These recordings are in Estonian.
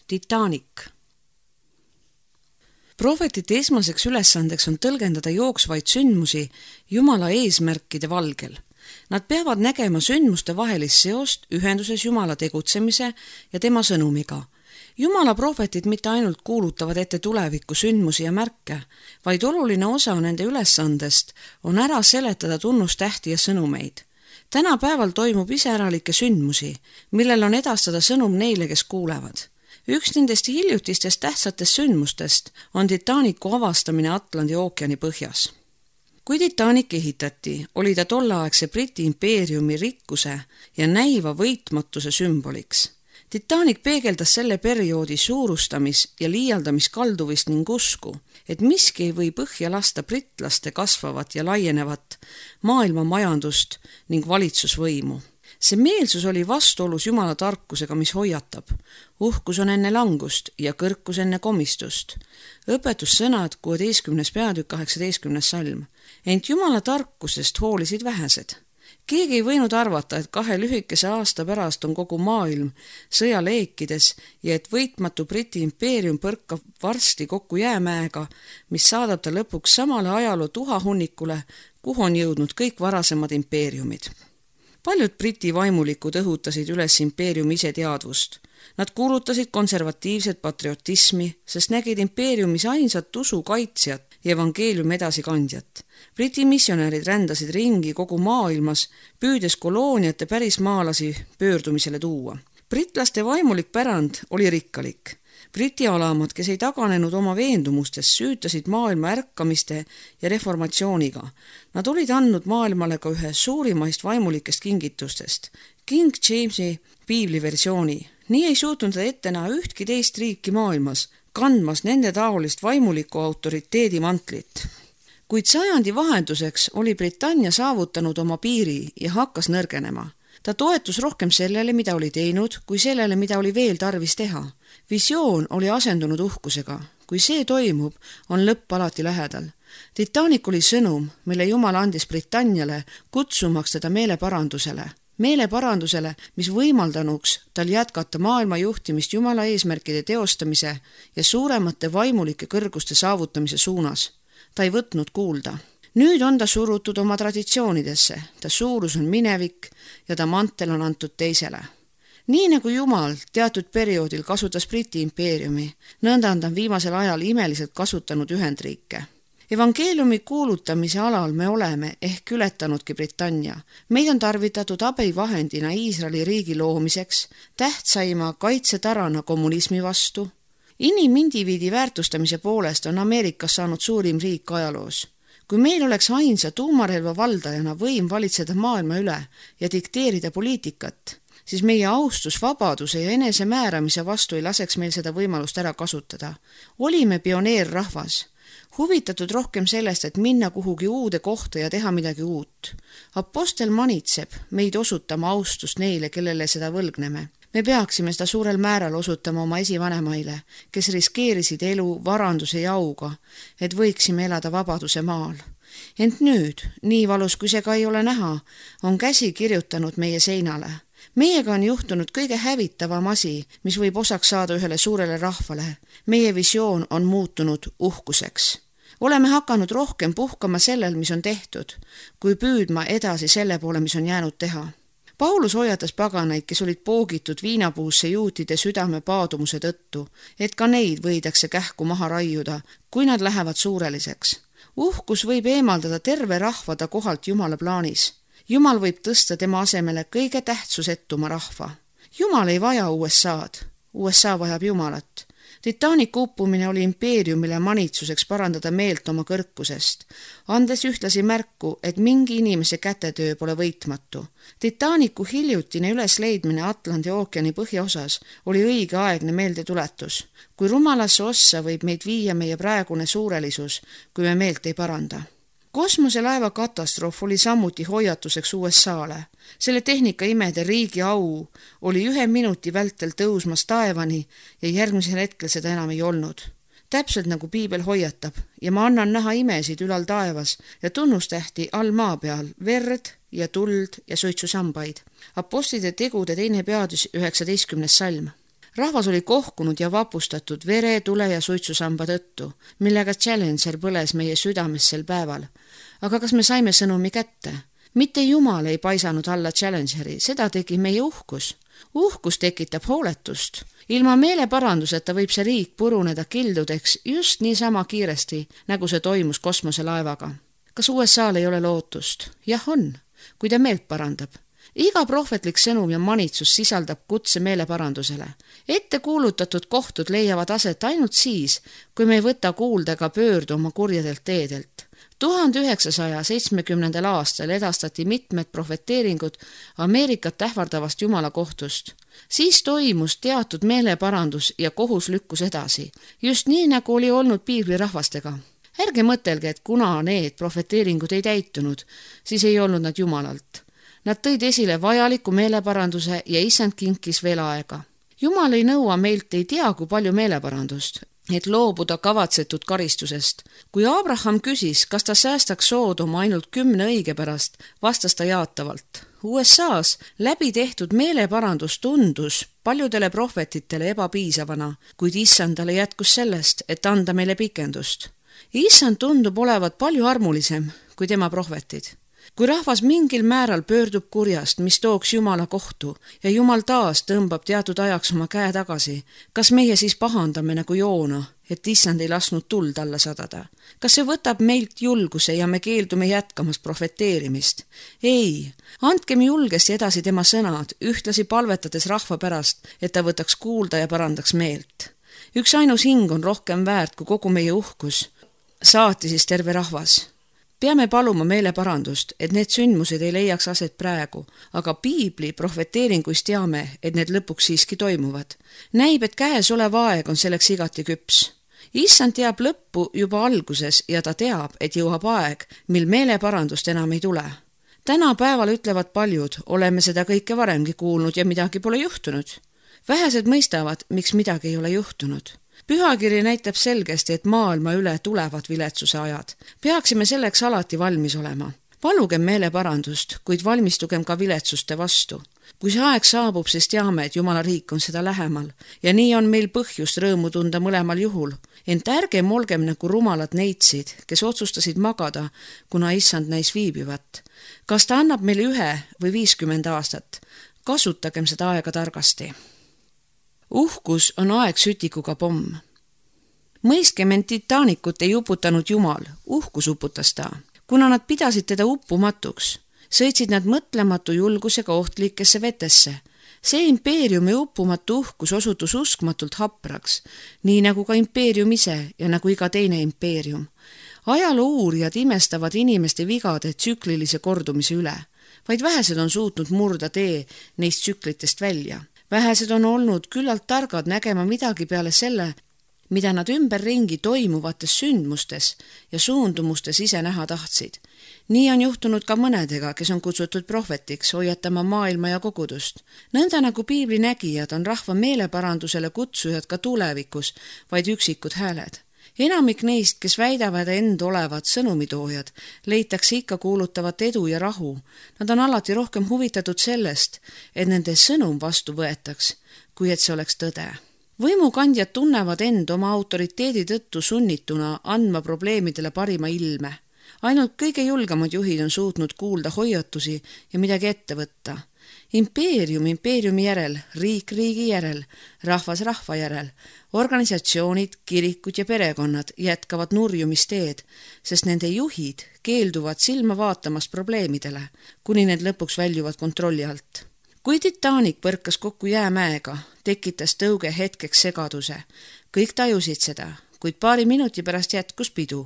Titanic. Prohvetite esmaseks ülesandeks on tõlgendada jooksvaid sündmusi Jumala eesmärkide valgel. Nad peavad nägema sündmuste vahelist seost ühenduses Jumala tegutsemise ja tema sõnumiga. Jumala prohvetid mitte ainult kuulutavad ette tuleviku sündmusi ja märke, vaid oluline osa nende ülesandest on ära seletada tunnustähti ja sõnumeid. Tänapäeval toimub iseäralikke sündmusi, millel on edastada sõnum neile, kes kuulevad. Üks nendest hiljutistest tähtsatest sündmustest on Titanicu avastamine Atlandi ookeani põhjas. Kui Titanic ehitati, oli ta tolleaegse Briti impeeriumi rikkuse ja näiva võitmatuse sümboliks. Titanic peegeldas selle perioodi suurustamis- ja liialdamiskalduvist ning usku, et miski ei või põhja lasta britlaste kasvavat ja laienevat maailma majandust ning valitsusvõimu. See meelsus oli vastuolus Jumala tarkusega, mis hoiatab. Uhkus on enne langust ja kõrkus enne komistust. Õpetussõnad 16. peatükk 18. salm. Ent Jumala tarkusest hoolisid vähesed. Keegi ei võinud arvata, et 2 lühikese aasta pärast on kogu maailm sõjaleekides ja et võitmatu Briti impeerium põrkab varsti kokku jäämäega, mis saadab ta lõpuks samale ajaloo tuhahunnikule, kuhu on jõudnud kõik varasemad impeeriumid. Paljud Briti vaimulikud õhutasid üles impeeriumi iseteadvust. Nad kuulutasid konservatiivset patriotismi, sest nägid impeeriumis ainsat usu kaitsjat ja evangeeliumi edasikandjat. Briti missionärid rändasid ringi kogu maailmas, püüdes kolooniate pärismaalasi pöördumisele tuua. Britlaste vaimulik pärand oli rikkalik. Briti alamad, kes ei taganenud oma veendumustest, süütasid maailma ärkamiste ja reformatsiooniga. Nad olid andnud maailmale ka ühe suurimaist vaimulikest kingitustest, King Jamesi piibliversiooni. Nii ei suutnud ta ette näha ühtki teist riiki maailmas, kandmas nende taolist vaimuliku autoriteedi mantlit. Kuid sajandi vahenduseks oli Britannia saavutanud oma piiri ja hakkas nõrgenema. Ta toetus rohkem sellele, mida oli teinud, kui sellele, mida oli veel tarvis teha. Visioon oli asendunud uhkusega. Kui see toimub, on lõpp alati lähedal. Titanic oli sõnum, mille Jumal andis Britanniale, kutsumaks teda meeleparandusele. Meeleparandusele, mis võimaldanuks tal jätkata maailma juhtimist Jumala eesmärkide teostamise ja suuremate vaimulike kõrguste saavutamise suunas. Ta ei võtnud kuulda. Nüüd on ta surutud oma traditsioonidesse, ta suurus on minevik ja ta mantel on antud teisele. Nii nagu Jumal teatud perioodil kasutas Briti impeeriumi, nõnda on ta viimasel ajal imeliselt kasutanud Ühendriike. Evangeeliumi kuulutamise alal me oleme ehk ületanudki Britannia. Meid on tarvitatud abivahendina Iisraeli riigi loomiseks, tähtsaima kaitsetarana kommunismi vastu. Inimindiviidi väärtustamise poolest on Ameerikas saanud suurim riik ajaloos. Kui meil oleks ainsa tuumarelva valdajana võim valitseda maailma üle ja dikteerida poliitikat, siis meie austus vabaduse ja enesemääramise vastu ei laseks meil seda võimalust ära kasutada. Olime pioneerrahvas, huvitatud rohkem sellest, et minna kuhugi uude kohta ja teha midagi uut. Apostel manitseb meid osutama austust neile, kellele seda võlgneme. Me peaksime seda suurel määral osutama oma esivanemaile, kes riskeerisid elu, varanduse ja auga, et võiksime elada vabaduse maal. Ent nüüd, nii valus kui see ka ei ole näha, on käsi kirjutanud meie seinale. Meiega on juhtunud kõige hävitavam asi, mis võib osaks saada ühele suurele rahvale. Meie visioon on muutunud uhkuseks. Oleme hakanud rohkem puhkama sellel, mis on tehtud, kui püüdma edasi selle poole, mis on jäänud teha. Paulus hoiatas paganaid, kes olid poogitud viinapuusse juutide südame paadumuse tõttu, et ka neid võidakse kähku maha raiuda, kui nad lähevad suureliseks. Uhkus võib eemaldada terve rahva ta kohalt Jumala plaanis. Jumal võib tõsta tema asemele kõige tähtsusetuma rahva. Jumal ei vaja USA-d. USA vajab Jumalat. Titanicu uppumine oli impeeriumile manitsuseks parandada meelt oma kõrkusest, andes ühtlasi märku, et mingi inimese kätetöö pole võitmatu. Titanicu hiljutine ülesleidmine Atlandi ookeani põhjaosas oli õigeaegne meeldetuletus. Kui rumalasse ossa võib meid viia meie praegune suurelisus, kui me meelt ei paranda. Kosmoselaeva katastroof oli samuti hoiatuseks USA-le. Selle tehnika imede riigi au oli 1 minuti vältel tõusmas taevani ja järgmisel hetkel seda enam ei olnud. Täpselt nagu piibel hoiatab ja ma annan näha imesid ülal taevas ja tunnustähti all maa peal, verd ja tuld ja suitsusambaid. Apostlite tegude 2. peatükk 19. salm. Rahvas oli kohkunud ja vapustatud vere, tule ja suitsusamba tõttu, millega Challenger põles meie südames sel päeval. Aga kas me saime sõnumi kätte? Mitte Jumal ei paisanud alla Challengeri, seda tegi meie uhkus. Uhkus tekitab hooletust. Ilma meeleparanduseta võib see riik puruneda kildudeks just niisama kiiresti, nagu see toimus kosmoselaevaga. Kas USA-l ei ole lootust? Jah on, kui ta meelt parandab. Iga prohvetlik sõnum ja manitsus sisaldab kutse meeleparandusele. Ette kuulutatud kohtud leiavad aset ainult siis, kui me ei võta kuulda ega pöördu oma kurjadelt teedelt. 1970. aastal edastati mitmed profeteeringud Ameerikat ähvardavast Jumala kohtust. Siis toimus teatud meeleparandus ja kohus lükkus edasi, just nii nagu oli olnud piiblirahvastega. Ärge mõtelge, et kuna need profeteeringud ei täitunud, siis ei olnud nad Jumalalt. Nad tõid esile vajaliku meeleparanduse ja Issand kinkis veel aega. Jumal ei nõua meilt ei tea kui palju meeleparandust, et loobuda kavatsetud karistusest. Kui Abraham küsis, kas ta säästaks Soodoma ainult 10 õige pärast, vastas ta jaatavalt. USA-s läbi tehtud meeleparandus tundus paljudele prohvetitele ebapiisavana, kuid Issandale jätkus sellest, et anda meile pikendust. Issand tundub olevat palju armulisem kui tema prohvetid. Kui rahvas mingil määral pöördub kurjast, mis tooks Jumala kohtu ja Jumal taas tõmbab teatud ajaks oma käe tagasi, kas meie siis pahandame nagu Joona, et Issand ei lasknud tuld alla sadada? Kas see võtab meilt julguse ja me keeldume jätkamast profeteerimist? Ei, andkem julgesti edasi tema sõnad, ühtlasi palvetades rahva pärast, et ta võtaks kuulda ja parandaks meelt. Üks ainus hing on rohkem väärt kui kogu meie uhkus. Saati siis terve rahvas. Peame paluma meeleparandust, et need sündmused ei leiaks aset praegu, aga piibli profeteeringuis teame, et need lõpuks siiski toimuvad. Näib, et käes olev aeg on selleks igati küps. Issand teab lõppu juba alguses ja ta teab, et jõuab aeg, mil meeleparandust enam ei tule. Täna päeval ütlevad paljud, oleme seda kõike varemgi kuulnud ja midagi pole juhtunud. Vähesed mõistavad, miks midagi ei ole juhtunud. Pühakiri näitab selgesti, et maailma üle tulevad viletsuse ajad. Peaksime selleks alati valmis olema. Palugem meeleparandust, kuid valmistugem ka viletsuste vastu. Kui see aeg saabub, siis teame, et Jumala riik on seda lähemal ja nii on meil põhjust rõõmu tunda mõlemal juhul. Ent ärgem olgem nagu rumalad neitsid, kes otsustasid magada, kuna Issand näis viibivat. Kas ta annab meile 1 või 50 aastat? Kasutagem seda aega targasti. Uhkus on aeg sütikuga pomm. Mõistkem, et Titanikut ei uputanud Jumal, uhkus uputas ta. Kuna nad pidasid teda uppumatuks, sõitsid nad mõtlematu julgusega ohtlikesse vetesse. See impeeriumi uppumatu uhkus osutus uskmatult hapraks, nii nagu ka impeerium ise ja nagu iga teine impeerium. Ajaloo uurijad imestavad inimeste vigade tsüklilise kordumise üle, vaid vähesed on suutnud murda tee neist tsüklitest välja. Vähesed on olnud küllalt targad nägema midagi peale selle, mida nad ümberringi toimuvates sündmustes ja suundumustes ise näha tahtsid. Nii on juhtunud ka mõnedega, kes on kutsutud prohvetiks hoiatama maailma ja kogudust. Nõnda nagu piibli nägijad on rahva meeleparandusele kutsujad ka tulevikus, vaid üksikud hääled. Enamik neist, kes väidavad end olevat sõnumitoojad, leitakse ikka kuulutavat edu ja rahu. Nad on alati rohkem huvitatud sellest, et nende sõnum vastu võetaks, kui et see oleks tõde. Võimukandjad tunnevad end oma autoriteedi tõttu sunnituna andma probleemidele parima ilme. Ainult kõige julgemad juhid on suutnud kuulda hoiatusi ja midagi ette võtta. Impeerium impeeriumi järel, riik riigi järel, rahvas rahva järel, organisatsioonid, kirikud ja perekonnad jätkavad nurjumisteed, sest nende juhid keelduvad silma vaatamast probleemidele, kuni need lõpuks väljuvad kontrolli alt. Kui Titanic põrkas kokku jäämäega, tekitas tõuge hetkeks segaduse. Kõik tajusid seda, kuid paari minuti pärast jätkus pidu.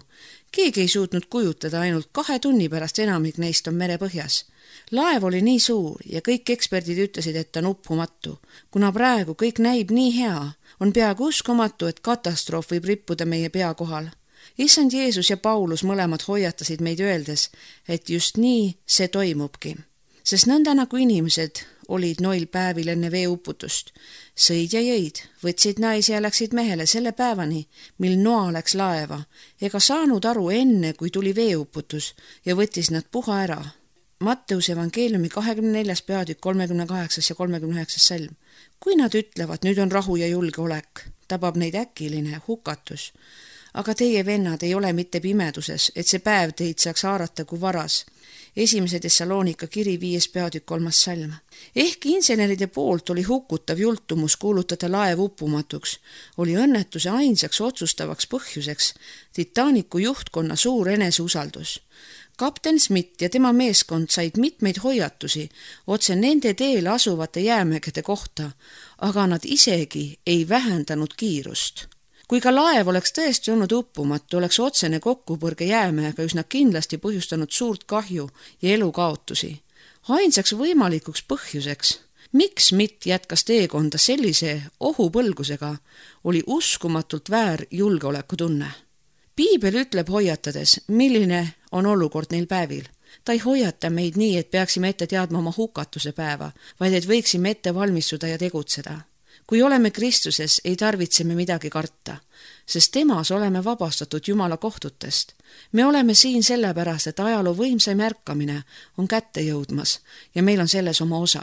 Keegi ei suutnud kujutada, ainult 2 tunni pärast enamik neist on merepõhjas. Laev oli nii suur ja kõik eksperdid ütlesid, et ta on uppumatu. Kuna praegu kõik näib nii hea, on peaaegu uskumatu, et katastroof võib rippuda meie pea kohal. Issand Jeesus ja Paulus mõlemad hoiatasid meid öeldes, et just nii see toimubki. Sest nõnda nagu inimesed olid noil päevil enne veeuputust. Sõid ja jõid, võtsid naisi ja läksid mehele selle päevani, mil Noa läks laeva, ega saanud aru enne, kui tuli veeuputus ja võttis nad puha ära. Matteuse evangeeliumi 24. peatükk 38. ja 39. salm. Kui nad ütlevad, nüüd on rahu ja julgeolek, tabab neid äkiline hukatus. Aga teie vennad ei ole mitte pimeduses, et see päev teid saaks haarata kui varas. 1. Tessaloonika kiri 5. peatükk 3. salm. Ehkki inseneride poolt oli hukutav jultumus kuulutada laev uppumatuks, oli õnnetuse ainsaks otsustavaks põhjuseks Titanicu juhtkonna suur eneseusaldus. Kapten Smith ja tema meeskond said mitmeid hoiatusi otse nende teel asuvate jäämägede kohta, aga nad isegi ei vähendanud kiirust. Kui ka laev oleks tõesti olnud uppumatu, oleks otsene kokkupõrge jäämäega üsna kindlasti põhjustanud suurt kahju ja elukaotusi. Ainsaks võimalikuks põhjuseks, miks Smith jätkas teekonda sellise ohupõlgusega, oli uskumatult väär julgeolekutunne. Piibel ütleb hoiatades, milline on olukord neil päevil. Ta ei hoiata meid nii, et peaksime ette teadma oma hukatuse päeva, vaid et võiksime ette valmistuda ja tegutseda. Kui oleme Kristuses, ei tarvitse me midagi karta, sest temas oleme vabastatud Jumala kohtutest. Me oleme siin sellepärast, et ajaloo võimsaim ärkamine on kätte jõudmas ja meil on selles oma osa.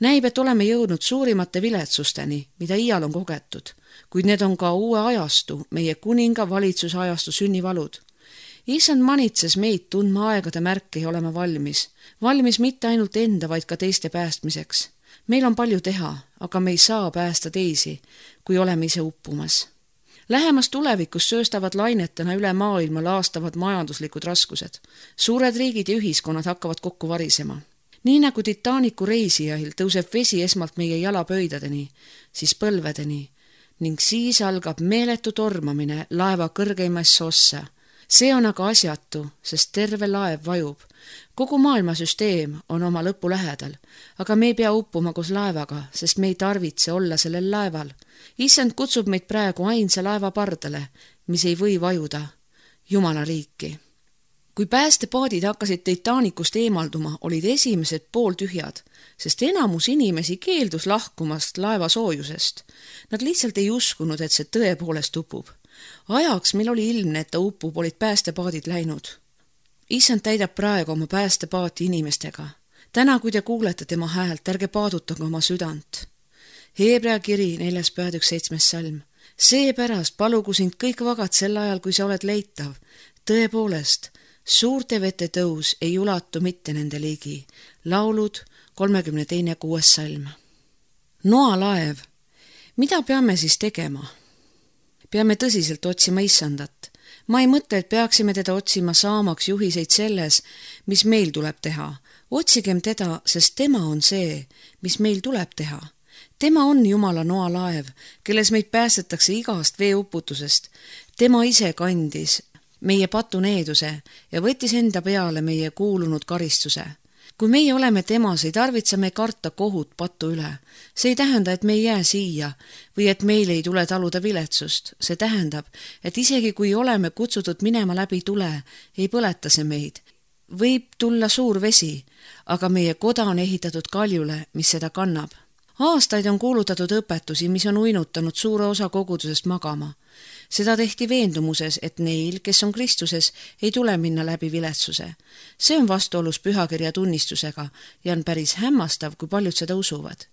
Näib, et oleme jõudnud suurimate viletsusteni, mida iial on kogetud, kuid need on ka uue ajastu, meie kuninga valitsusajastu sünnivalud. Issand manitses meid tundma aegade märke ja olema valmis. Valmis mitte ainult enda, vaid ka teiste päästmiseks. Meil on palju teha, aga me ei saa päästa teisi, kui oleme ise uppumas. Lähemas tulevikus sööstavad lainetena üle maailma laastavad majanduslikud raskused. Suured riigid ja ühiskonnad hakkavad kokku varisema. Nii nagu Titanicu reisijail tõuseb vesi esmalt meie jalapöidadeni, siis põlvedeni ning siis algab meeletu tormamine laeva kõrgeimasse ossa. See on aga asjatu, sest terve laev vajub. Kogu maailmasüsteem on oma lõpu lähedal, aga me ei pea uppuma koos laevaga, sest me ei tarvitse olla sellel laeval. Issand kutsub meid praegu ainsa laeva pardale, mis ei või vajuda, Jumala riiki. Kui päästepaadid hakkasid Titanicust eemalduma, olid esimesed pooltühjad, sest enamus inimesi keeldus lahkumast laeva soojusest. Nad lihtsalt ei uskunud, et see tõepoolest upub. Ajaks, mil oli ilmne, et ta upub, olid päästepaadid läinud. Issand täidab praegu oma päästepaati inimestega. Täna, kui te kuulete tema häält, ärge paadutage oma südant. Hebrea kiri 4. peatükk 7. salm. Seepärast palugu sind kõik vagad sel ajal, kui sa oled leitav. Tõepoolest, suurte vete tõus ei ulatu mitte nende ligi. Laulud 32. 6. salm. Noa laev. Mida peame siis tegema? Peame tõsiselt otsima Issandat. Ma ei mõtle, et peaksime teda otsima saamaks juhiseid selles, mis meil tuleb teha. Otsigem teda, sest tema on see, mis meil tuleb teha. Tema on Jumala noa laev, kelles meid päästetakse igast veeuputusest. Tema ise kandis meie patuneeduse ja võttis enda peale meie kuulunud karistuse. Kui meie oleme temas, ei tarvitse me karta kohut patu üle. See ei tähenda, et me ei jää siia või et meil ei tule taluda viletsust. See tähendab, et isegi kui oleme kutsutud minema läbi tule, ei põleta see meid. Võib tulla suur vesi, aga meie koda on ehitatud kaljule, mis seda kannab. Aastaid on kuulutatud õpetusi, mis on uinutanud suure osa kogudusest magama. Seda tehti veendumuses, et neil, kes on Kristuses, ei tule minna läbi viletsuse. See on vastuolus pühakirja tunnistusega ja on päris hämmastav, kui paljud seda usuvad.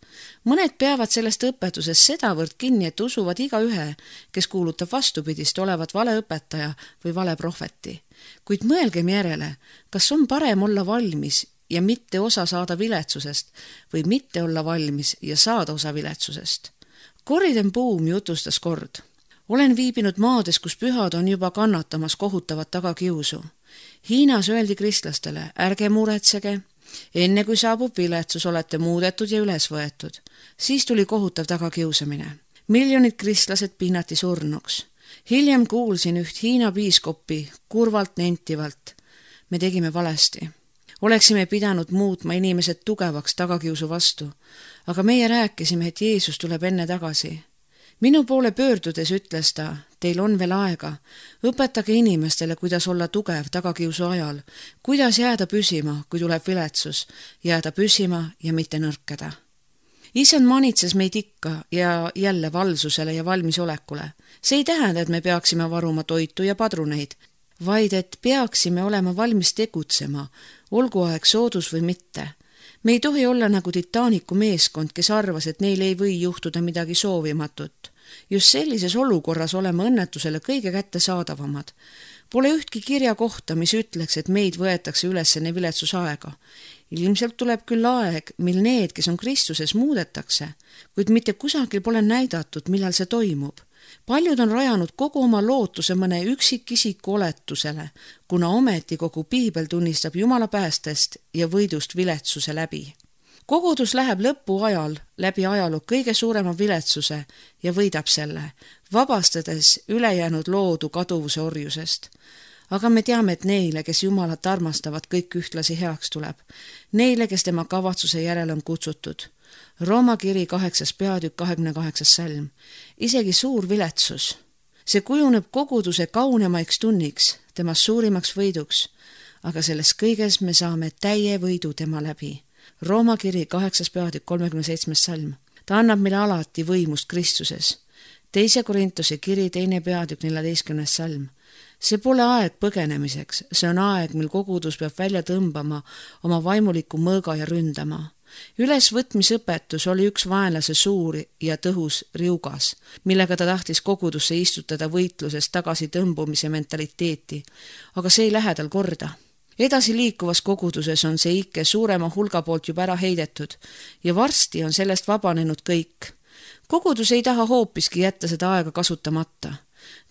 Mõned peavad sellest õpetusest sedavõrd kinni, et usuvad igaühe, kes kuulutab vastupidist olevat valeõpetaja või valeprohveti. Kuid mõelgem järele, kas on parem olla valmis ja mitte osa saada viletsusest või mitte olla valmis ja saada osa viletsusest. Corrie Boom jutustas kord. Olen viibinud maades, kus pühad on juba kannatamas kohutavat tagakiusu. Hiinas öeldi kristlastele, ärge muretsege, enne kui saabub viletsus, olete muudetud ja üles võetud. Siis tuli kohutav tagakiusamine. Miljonid kristlased pinnati surnuks. Hiljem kuulsin üht Hiina piiskopi kurvalt nentivalt. Me tegime valesti. Oleksime pidanud muutma inimesed tugevaks tagakiusu vastu, aga meie rääkisime, et Jeesus tuleb enne tagasi. Minu poole pöördudes ütles ta, teil on veel aega, õpetage inimestele, kuidas olla tugev tagakiusu ajal, kuidas jääda püsima, kui tuleb viletsus, jääda püsima ja mitte nõrkeda. Issand manitses meid ikka ja jälle valvsusele ja valmisolekule. See ei tähenda, et me peaksime varuma toitu ja padruneid, vaid et peaksime olema valmis tegutsema, olgu aeg soodus või mitte. Me ei tohi olla nagu Titanicu meeskond, kes arvas, et neil ei või juhtuda midagi soovimatut. Just sellises olukorras oleme õnnetusele kõige kättesaadavamad. Pole ühtki kirja kohta, mis ütleks, et meid võetakse üles enne viletsusaega. Ilmselt tuleb küll aeg, mil need, kes on Kristuses, muudetakse, kuid mitte kusagil pole näidatud, millal see toimub. Paljud on rajanud kogu oma lootuse mõne üksikisiku oletusele, kuna ometi kogu piibel tunnistab Jumala päästest ja võidust viletsuse läbi. Kogudus läheb lõpuajal läbi ajaloo kõige suurema viletsuse ja võidab selle, vabastades ülejäänud loodu kaduvuse orjusest. Aga me teame, et neile, kes Jumalat armastavad, kõik ühtlasi heaks tuleb. Neile, kes tema kavatsuse järele on kutsutud. Rooma kiri 8. peatükk 28. salm. Isegi suur viletsus. See kujuneb koguduse kaunemaiks tunniks, temast suurimaks võiduks, aga selles kõiges me saame täie võidu tema läbi. Rooma kiri 8. peatükk 37. salm. Ta annab meile alati võimust Kristuses. 2. Korintuse kiri 2. peatükk 14. salm. See pole aeg põgenemiseks, see on aeg, mil kogudus peab välja tõmbama oma vaimuliku mõõga ja ründama. Ülesvõtmisõpetus oli üks vaenlase suur ja tõhus riugas, millega ta tahtis kogudusse istutada võitluses tagasi tõmbumise mentaliteeti, aga see ei lähe tal korda. Edasi liikuvas koguduses on see ikke suurema hulga poolt juba ära heidetud ja varsti on sellest vabanenud kõik. Kogudus ei taha hoopiski jätta seda aega kasutamata.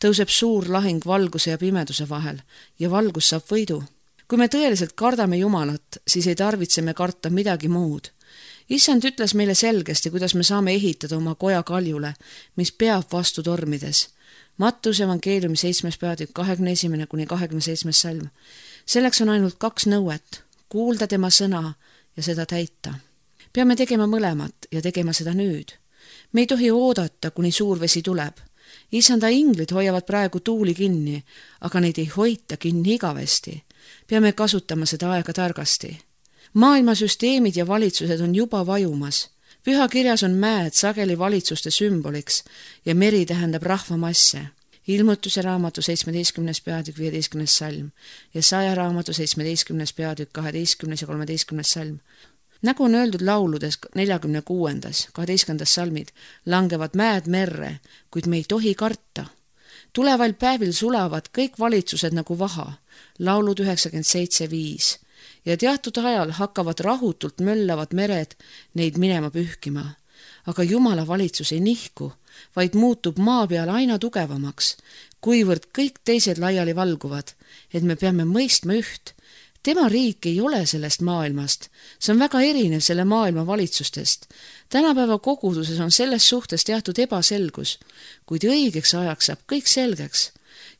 Tõuseb suur lahing valguse ja pimeduse vahel ja valgus saab võidu. Kui me tõeliselt kardame Jumalat, siis ei tarvitse me karta midagi muud. Issand ütles meile selgesti, kuidas me saame ehitada oma koja kaljule, mis peab vastu tormides. Mattuse evangeeliumi 7. peatükk 21–27. salm. Selleks on ainult 2 nõuet, kuulda tema sõna ja seda täita. Peame tegema mõlemat ja tegema seda nüüd. Me ei tohi oodata, kuni suur vesi tuleb. Issanda inglid hoiavad praegu tuuli kinni, aga neid ei hoita kinni igavesti. Peame kasutama seda aega targasti. Maailmasüsteemid ja valitsused on juba vajumas. Pühakirjas on mäed sageli valitsuste sümboliks ja meri tähendab rahvamasse. Ilmutuse raamatu 17. peatükk 15. salm ja Jesaja raamatu 17. peatükk 12. ja 13. salm. Nagu on öeldud lauludes 46. 12. salmid, langevad mäed merre, kuid me ei tohi karta. Tuleval päevil sulavad kõik valitsused nagu vaha, laulud 97.5, ja teatud ajal hakkavad rahutult möllavad mered neid minema pühkima. Aga Jumala valitsus ei nihku, vaid muutub maa peal aina tugevamaks, kuivõrd kõik teised laiali valguvad, et me peame mõistma üht. Tema riik ei ole sellest maailmast, see on väga erinev selle maailma valitsustest. Tänapäeva koguduses on selles suhtes teatud ebaselgus, kuid õigeks ajaks saab kõik selgeks.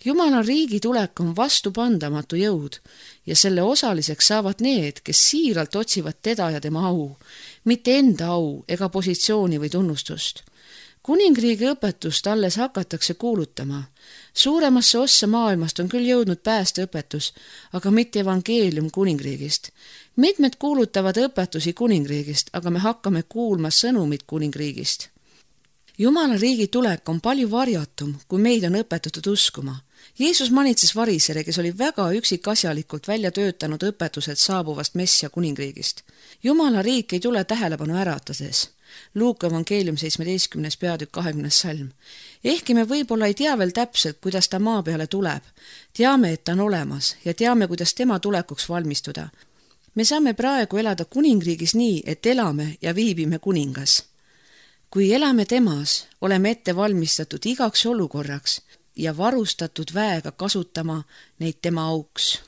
Jumala riigi tulek on vastupandamatu jõud ja selle osaliseks saavad need, kes siiralt otsivad teda ja tema au, mitte enda au ega positsiooni või tunnustust. Kuningriigi õpetust alles hakatakse kuulutama. Suuremasse ossa maailmast on küll jõudnud päästeõpetus, aga mitte evangeelium kuningriigist. Mitmed kuulutavad õpetusi kuningriigist, aga me hakkame kuulma sõnumit kuningriigist. Jumala riigi tulek on palju varjatum, kui meid on õpetatud uskuma. Jeesus manitses varisere, kes oli väga üksikasjalikult välja töötanud õpetused saabuvast Messia kuningriigist. Jumala riik ei tule tähelepanu äratades. Luuka evangeelium 17. peatükk 20. salm. Ehkki me võib-olla ei tea veel täpselt, kuidas ta maa peale tuleb, teame, et ta on olemas ja teame, kuidas tema tulekuks valmistuda. Me saame praegu elada kuningriigis nii, et elame ja viibime kuningas. Kui elame temas, oleme ette valmistatud igaks olukorraks ja varustatud väega kasutama neid tema auks.